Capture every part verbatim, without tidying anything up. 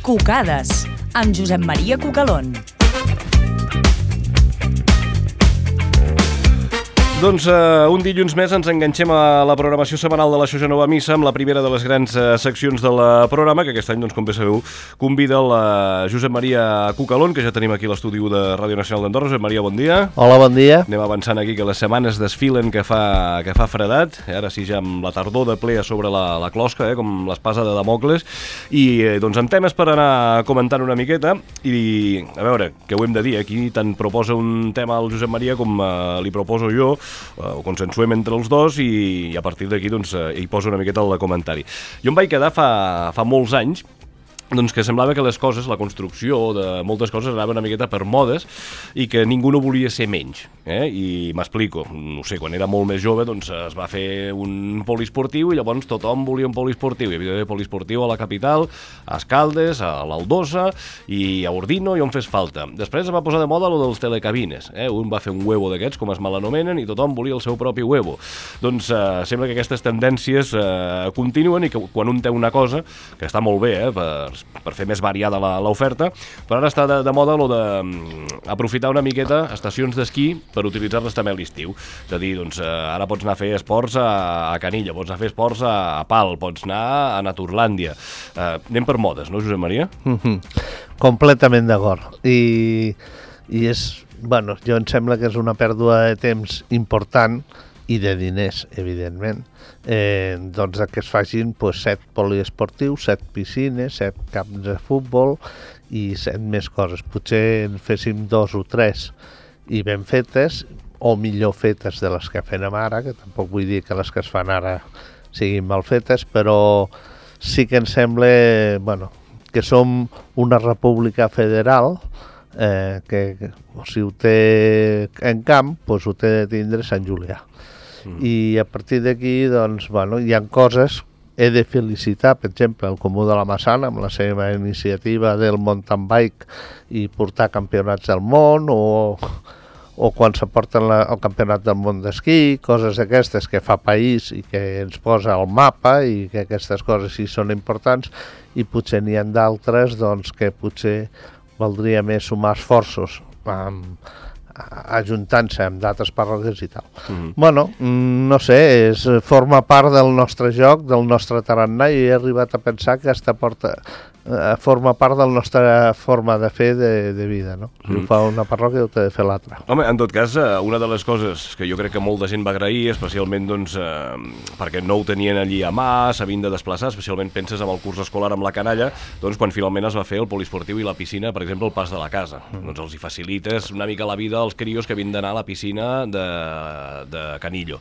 Cucades, amb Josep Maria Cucalón. Doncs uh, un dilluns més ens enganxem a la programació setmanal de la Xoja Nova Missa amb la primera de les grans uh, seccions del uh, programa, que aquest any, doncs, com bé sabeu, convida el uh, Josep Maria Cucalón, que ja tenim aquí a l'estudi de Ràdio Nacional d'Andorra. Josep Maria, bon dia. Hola, bon dia. Anem avançant aquí, que les setmanes desfilen, que fa, que fa fredat, ara sí ja amb la tardor de ple a sobre la, la closca, eh, com l'espasa de Damocles, i eh, doncs amb temes per anar comentant una miqueta, i a veure, què ho hem de dir, aquí tant proposa un tema al Josep Maria com uh, li proposo jo, ho consensuem entre els dos i, i a partir d'aquí doncs, hi poso una miqueta el comentari. Jo em vaig quedar fa, fa molts anys doncs que semblava que les coses, la construcció de moltes coses anaven una miqueta per modes i que ningú no volia ser menys, eh? I m'explico, no sé, quan era molt més jove doncs es va fer un poliesportiu i llavors tothom volia un poliesportiu, hi havia poliesportiu a la capital, a Escaldes, a l'Aldosa i a Ordino i on fes falta. Després es va posar de moda lo dels telecabines, eh? Un va fer un huevo d'aquests, com es malanomenen, i tothom volia el seu propi huevo. Doncs eh, sembla que aquestes tendències eh, continuen i que quan un té una cosa, que està molt bé, eh, per per fer més variada l'oferta, però ara està de, de moda lo de aprofitar una miqueta estacions d'esquí per utilitzar-les també a l'estiu. És a dir, doncs, ara pots anar a fer esports a, a Canilla, pots anar a fer esports a, a Pal, pots anar a Naturlàndia. Eh, anem per modes, no, Josep Maria? Mm-hmm. Completament d'acord. I, i és, bueno, jo em sembla que és una pèrdua de temps important i de diners, evidentment, eh, doncs que es facin pues, set poliesportius, set piscines, set camps de futbol i set més coses. Potser en féssim dos o tres i ben fetes, o millor fetes de les que fem ara, que tampoc vull dir que les que es fan ara siguin mal fetes, però sí que em sembla bueno, que som una república federal, eh, que, que si ho té en camp, pues ho té de tindre Sant Julià. Mm. I a partir d'aquí, doncs, bueno, hi ha coses, he de felicitar, per exemple, el Comú de la Massana, amb la seva iniciativa del mountain bike i portar campionats del món, o, o quan se porten la, el campionat del món d'esquí, coses d'aquestes que fa país i que ens posa al mapa i que aquestes coses sí són importants, i potser n'hi ha d'altres doncs, que potser valdria més sumar esforços amb ajuntant-se amb d'altres parròquies i tal. Mm-hmm. Bueno, no sé, és, forma part del nostre joc, del nostre tarannà, i he arribat a pensar que aquesta porta eh, forma part de la nostra forma de fer de, de vida, no? Si mm. ho fa una parròquia, ho té de fer l'altra. Home, en tot cas, una de les coses que jo crec que molta gent va agrair, especialment doncs, eh, perquè no ho tenien allí a mà, s'havien de desplaçar, especialment penses en el curs escolar amb la canalla, doncs quan finalment es va fer el poliesportiu i la piscina, per exemple, el pas de la casa. Mm. Doncs els hi facilites una mica la vida als crios que havien d'anar a la piscina de, de Canillo.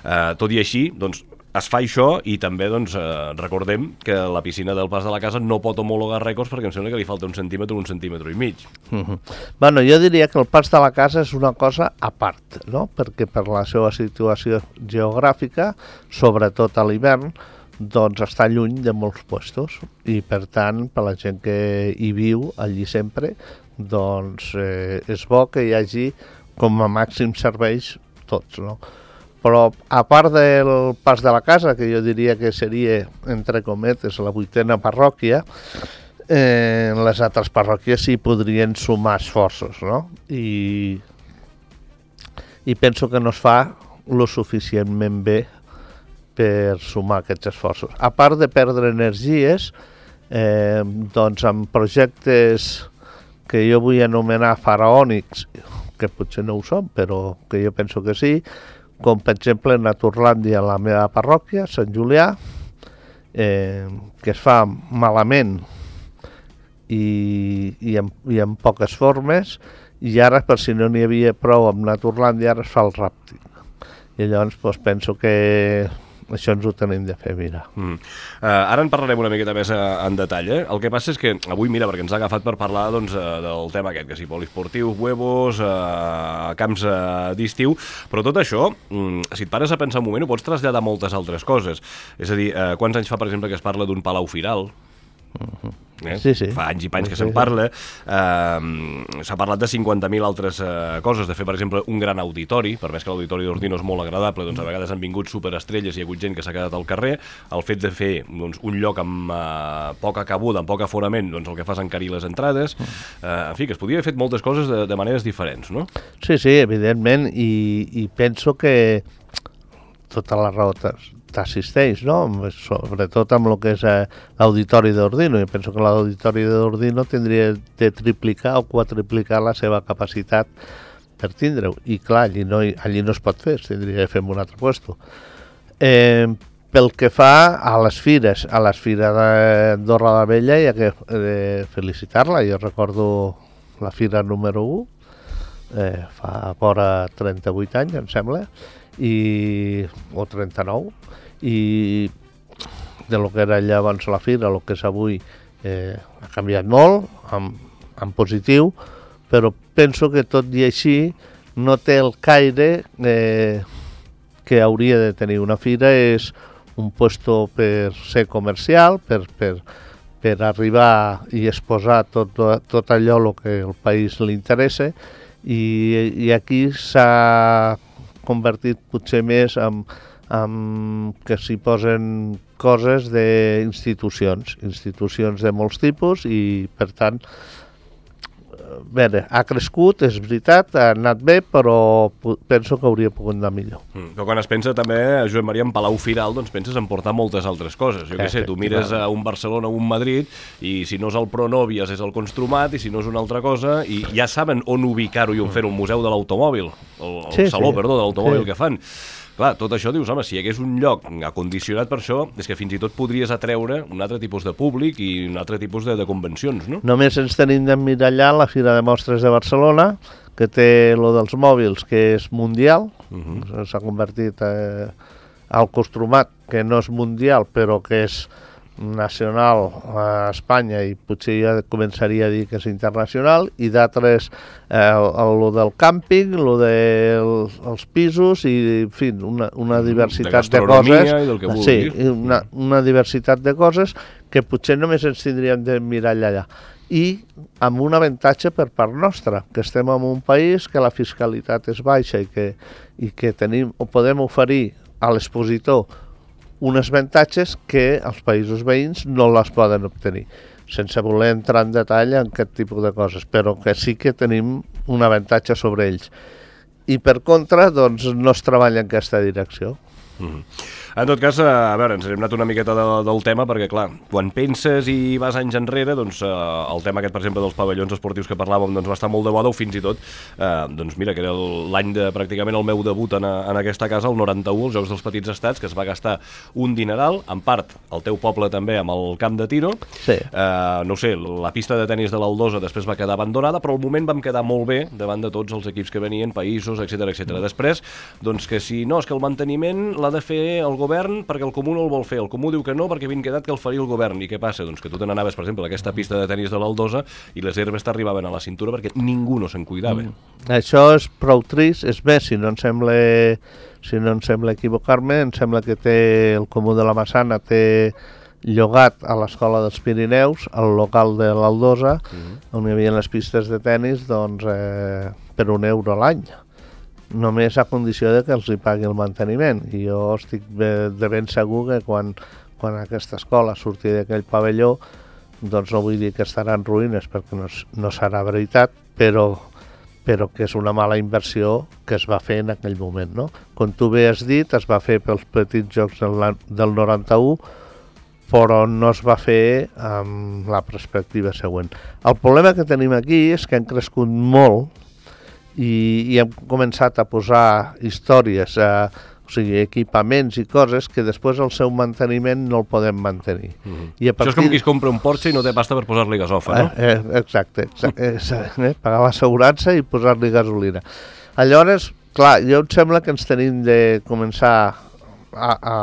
Eh, tot i així, doncs, es fa això i també doncs, eh, recordem que la piscina del pas de la casa no pot homologar rècords perquè em sembla que li falta un centímetre o un centímetre i mig. Uh-huh. Bueno, jo diria que el pas de la casa és una cosa a part, no? Perquè per la seva situació geogràfica, sobretot a l'hivern, doncs està lluny de molts puestos i per tant, per la gent que hi viu allí sempre, doncs eh, és bo que hi hagi com a màxim serveis tots, no? Però a part del pas de la casa, que jo diria que seria, entre cometes, la vuitena parròquia, eh, les altres parròquies sí podrien sumar esforços, no? I, i penso que no es fa lo suficientment bé per sumar aquests esforços. A part de perdre energies, eh, doncs amb projectes que jo vull anomenar faraònics, que potser no ho són, però que jo penso que sí, com per exemple Naturlàndia, la meva parròquia, Sant Julià, eh, que es fa malament i, i, en, i en poques formes, i ara, per si no n'hi havia prou amb Naturlàndia, ara es fa el ràptic. I llavors doncs, penso que això ens ho tenim de fer, mira. Mm. Uh, ara en parlarem una miqueta més uh, en detall, eh? El que passa és que avui, mira, perquè ens ha agafat per parlar doncs, uh, del tema aquest, que sí, poliesportius, huevos, uh, camps uh, d'estiu, però tot això, um, si et pares a pensar un moment, ho pots traslladar a moltes altres coses. És a dir, uh, quants anys fa, per exemple, que es parla d'un palau firal? Uh-huh. Eh? Sí, sí. Fa anys i panys que Sí, se'n sí. parla. Eh, S'ha parlat de cinquanta mil altres eh, coses, de fer, per exemple, un gran auditori, per més que l'auditori d'Ordino és molt agradable, doncs a vegades han vingut superestrelles i hi ha hagut gent que s'ha quedat al carrer. El fet de fer doncs, un lloc amb eh, poca cabuda, amb poc aforament, doncs el que fa és encarir les entrades. Eh, en fi, que es podia haver fet moltes coses de, de maneres diferents, no? Sí, sí, evidentment, i, i penso que tota la raó t'assisteix, no? Sobretot amb el que és eh, l'auditori d'Ordino. Jo penso que l'auditori d'Ordino tindria de triplicar o quadriplicar la seva capacitat per tindre-ho. I clar, allí no, allí no es pot fer, es tindria de fer en un altre lloc. Eh, pel que fa a les fires, a les fires d'Andorra la Vella hi ha que eh, felicitar-la. Jo recordo la fira número u, eh, fa vora trenta-vuit anys, em sembla, i, o trenta-nou, i de lo que era llavors la fira, el que és avui, eh, ha canviat molt, en, en positiu, però penso que tot i així no té el caire eh, que hauria de tenir una fira. És un puesto per ser comercial, per, per, per arribar i exposar tot, tot allò el que el país li interessa, i, i aquí s'ha convertit potser més en, en que s'hi posen coses d'institucions, institucions de molts tipus, i per tant, bé, ha crescut, és veritat, ha anat bé, però penso que hauria pogut anar millor. Mm. Però quan es pensa també, Josep Maria, en Palau Firal, doncs penses en portar moltes altres coses. Jo què sé, tu mires a un Barcelona o un Madrid, i si no és el Pronovias és el Construmat, i si no és una altra cosa, i ja saben on ubicar-ho i on fer-ho, el Museu de l'Automòbil, el, el sí, saló, sí. perdó, de l'automòbil Sí. que fan. Clar, tot això dius, home, si hi hagués un lloc acondicionat per això, és que fins i tot podries atreure un altre tipus de públic i un altre tipus de, de convencions, no? Només ens tenim d'emmirallar la Fira de Mostres de Barcelona, que té lo dels mòbils, que és mundial, uh-huh. S'ha convertit eh, al Construmat, que no és mundial, però que és nacional a Espanya, i potser ja començaria a dir que és internacional, i d'altres, eh, el del càmping, el dels els pisos, i en fi, una, una diversitat de, de coses. I del que vulguis. Sí, una, una diversitat de coses que potser només ens tindríem de mirar allà. I amb un avantatge per part nostra, que estem en un país que la fiscalitat és baixa i que, i que tenim, o podem oferir a l'expositor unes avantatges que els països veïns no les poden obtenir, sense voler entrar en detall en aquest tipus de coses, però que sí que tenim un avantatge sobre ells. I per contra, doncs, no es treballa en aquesta direcció. Mm-hmm. En tot cas, a veure, ens hem anat una miqueta de, del tema, perquè, clar, quan penses i vas anys enrere, doncs eh, el tema aquest, per exemple, dels pavellons esportius que parlàvem, doncs va estar molt de moda, o fins i tot, eh, doncs mira, que era l'any de pràcticament el meu debut en, en aquesta casa, el noranta-u, els Jocs dels Petits Estats, que es va gastar un dineral, en part, el teu poble també, amb el camp de tiro. Sí. Eh, no sé, la pista de tenis de l'Aldosa després va quedar abandonada, però al moment vam quedar molt bé davant de tots els equips que venien, països, etcètera, etcètera. Mm. Després, doncs que si no, és que el manteniment l'ha de fer el govern perquè el Comú no el vol fer. El Comú diu que no perquè havien quedat que el faria el govern. I què passa? Doncs que tu te n'anaves, per exemple, a aquesta pista de tenis de l'Aldosa i les herbes t'arribaven a la cintura perquè ningú no se'n cuidava. Mm. Això és prou trist, és més, si no em sembla, si no em sembla equivocar-me, em sembla que té el Comú de la Massana té llogat a l'Escola dels Pirineus, al local de l'Aldosa, mm. on hi havia les pistes de tenis, doncs, eh, per un euro a l'any. Només a condició de que els hi pagui el manteniment. I jo estic de, de ben segur que quan, quan aquesta escola surti d'aquell pavelló, doncs no vull dir que estarà en ruïnes, perquè no, no serà veritat, però, però que és una mala inversió que es va fer en aquell moment, no? Com tu bé has dit, es va fer pels petits jocs del, del noranta-u, però no es va fer amb la perspectiva següent. El problema que tenim aquí és que han crescut molt i, i hem començat a posar històries, a, o sigui, equipaments i coses que després el seu manteniment no el podem mantenir. Mm-hmm. I a partir... Això és com qui es compra un Porsche i no té pasta per posar-li gasofa, no? Eh, eh, exacte, exacte eh, pagar l'assegurança i posar-li gasolina. Aleshores, clar, jo em sembla que ens tenim de començar a, a,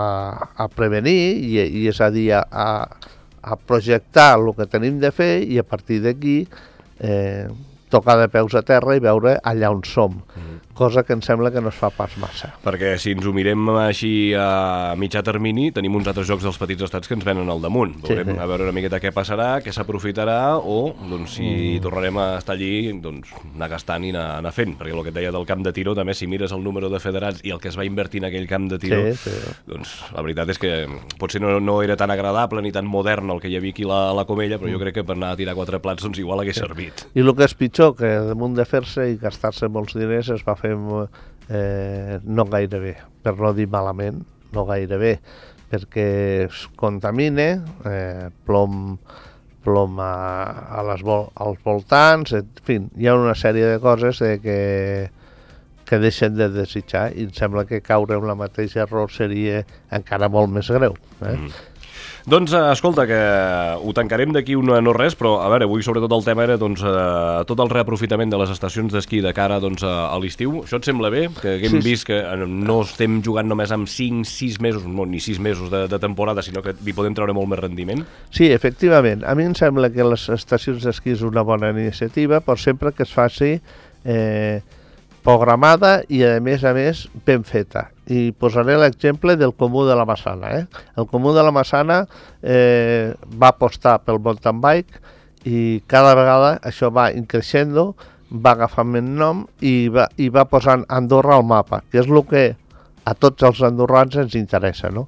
a prevenir, i, i és a dir, a, a projectar el que tenim de fer, i a partir d'aquí eh, tocar de peus a terra i veure allà on som, mm. cosa que em sembla que no es fa pas massa. Perquè si ens ho mirem així a mitjà termini, tenim uns altres jocs dels petits estats que ens venen al damunt. Veurem sí, sí. a veure una miqueta què passarà, què s'aprofitarà, o doncs, si mm. tornarem a estar allí, doncs, anar gastant i anar, anar fent. Perquè el que et deia del camp de tiro, també si mires el número de federats i el que es va invertir en aquell camp de tiro, sí, sí. doncs la veritat és que potser no, no era tan agradable ni tan modern el que hi havia aquí a la, la Comella, però jo crec que per anar a tirar quatre plats doncs igual hagués sí. servit. I el que és pitjor, que damunt de fer-se i gastar-se molts diners es va fer eh, no gaire bé, per no dir malament, no gaire bé, perquè es contamina, eh, plom, plom a, a les vol, als voltants, en fi, hi ha una sèrie de coses de que, que deixen de desitjar i em sembla que caure en la mateixa error seria encara molt més greu. Eh? Mm. Doncs, escolta, que ho tancarem d'aquí un no res, però, a veure, avui sobretot el tema era doncs, eh, tot el reaprofitament de les estacions d'esquí de cara doncs, a, a l'estiu. Això et sembla bé? Que haguem sí, vist que no estem jugant només amb cinc sis mesos, no, ni sis mesos de, de temporada, sinó que hi podem treure molt més rendiment? Sí, efectivament. A mi em sembla que les estacions d'esquí és una bona iniciativa, però sempre que es faci eh, programada i, a més a més, ben feta. I posaré l'exemple del Comú de la Massana. Eh? El Comú de la Massana eh, va apostar pel mountain bike i cada vegada això va increixendo, va agafant més nom i va, i va posant Andorra al mapa, que és el que a tots els andorrans ens interessa. No?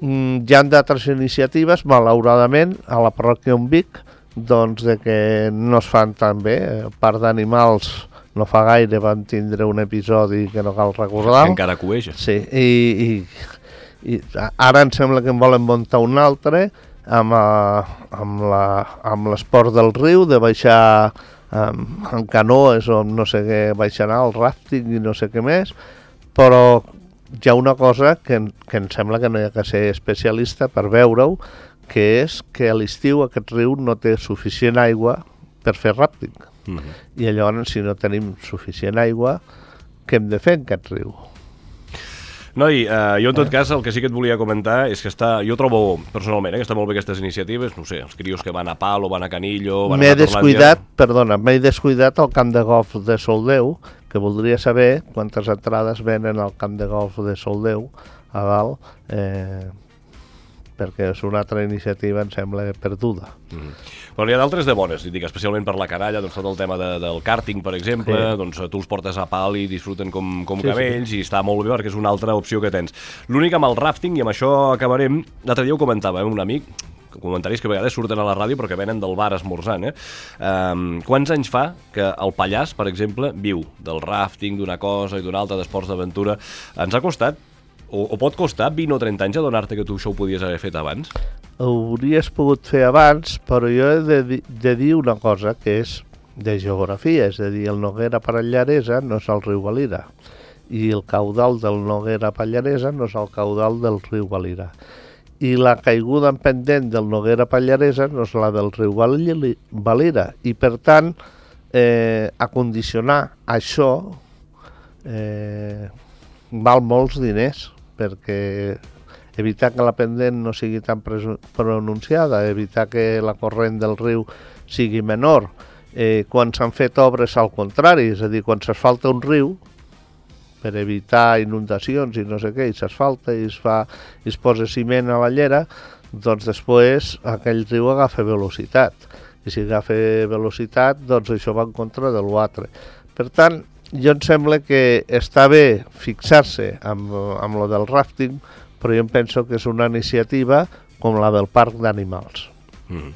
Mm, hi ha d'altres iniciatives, malauradament, a la parròquia on Vic, doncs de que no es fan tan bé, a part d'animals. No fa gaire vam tindre un episodi que no cal recordar. Que encara cueja. Sí, i, i, i ara em sembla que en volen muntar un altre amb, amb, la, amb l'esport del riu, de baixar amb, amb canoes o no sé què, baixar el ràfting i no sé què més, però hi ha una cosa que, que em sembla que no hi ha que ser especialista per veure-ho, que és que a l'estiu aquest riu no té suficient aigua per fer ràfting. Mm-hmm. I llavors, si no tenim suficient aigua, què hem de fer en aquest riu? Noi, eh, jo en tot cas el que sí que et volia comentar és que està, jo trobo personalment eh, que està molt bé aquestes iniciatives, no sé, els crios que van a Palo, van a Canillo, van m'he a descuidat, perdona, m'he descuidat el camp de golf de Soldeu, que voldria saber quantes entrades venen al camp de golf de Soldeu a dalt, eh, perquè és una altra iniciativa, em sembla, perduda. Mm. Però n'hi ha d'altres de bones, dic, especialment per la canalla, doncs tot el tema de, del karting, per exemple, sí. doncs tu els portes a pal i disfruten com, com sí, camells, sí. i està molt bé perquè és una altra opció que tens. L'únic amb el rafting, i amb això acabarem, l'altre dia ho comentava eh, un amic, comentaris que a vegades surten a la ràdio però que venen del bar esmorzant, eh? Um, quants anys fa que el Pallars, per exemple, viu del rafting, d'una cosa i d'una altra, d'esports d'aventura? Ens ha costat, o, o pot costar vint o trenta anys adonar-te que tu això ho podies haver fet abans? Ho hauries pogut fer abans, però jo he de, di de dir una cosa que és de geografia, és a dir, el Noguera Pallaresa no és el riu Valira i el caudal del Noguera Pallaresa no és el caudal del riu Valira. I la caiguda en pendent del Noguera Pallaresa no és la del riu Valira. I, per tant, eh, acondicionar això eh, val molts diners, perquè evitar que la pendent no sigui tan pronunciada, evitar que la corrent del riu sigui menor. Eh, quan s'han fet obres al contrari, és a dir, quan s'asfalta un riu, per evitar inundacions i no sé què, i s'asfalta i es fa, i es posa ciment a la llera, doncs després aquell riu agafa velocitat. I si agafa velocitat, doncs això va en contra de l'altre. Per tant, jo em sembla que està bé fixar-se amb, amb lo del rafting, però jo em penso que és una iniciativa com la del parc d'animals. Mm.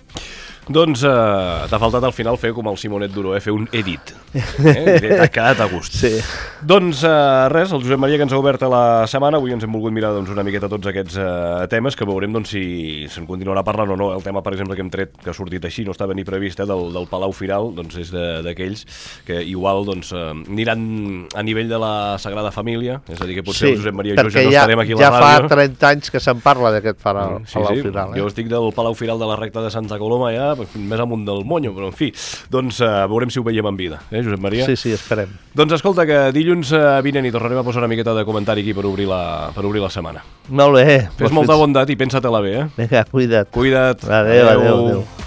Doncs uh, t'ha faltat al final fer com el Simonet Duró, eh? Fer un edit. Eh? T'ha quedat a gust. Sí. Doncs uh, res, el Josep Maria que ens ha obert a la setmana, avui ens hem volgut mirar doncs, una miqueta tots aquests uh, temes, que veurem doncs, si se'n continuarà parlant o no. El tema, per exemple, que hem tret, que ha sortit així, no estava ni previst, eh, del, del Palau Firal, doncs és d'aquells que igual doncs, uh, aniran a nivell de la Sagrada Família, és a dir, que potser sí, el Josep Maria i jo ja no ja, estarem aquí a la ja ràdio. Ja fa trenta anys que se'n parla d'aquest Palau, sí, Palau sí. Firal. Eh? Jo estic del Palau Firal de la recta de Santa Coloma ja, més amunt del Monyo, però en fi, doncs uh, veurem si ho veiem en vida, eh, Josep Maria? Sí, sí, esperem. Doncs escolta, que dilluns uh, vinent i tornarem a posar una miqueta de comentari aquí per obrir la, per obrir la setmana. Molt bé. Fes molta bondat i pensa-te-la bé, eh? Vinga, cuida't. Cuida't. Adéu, adéu, adéu.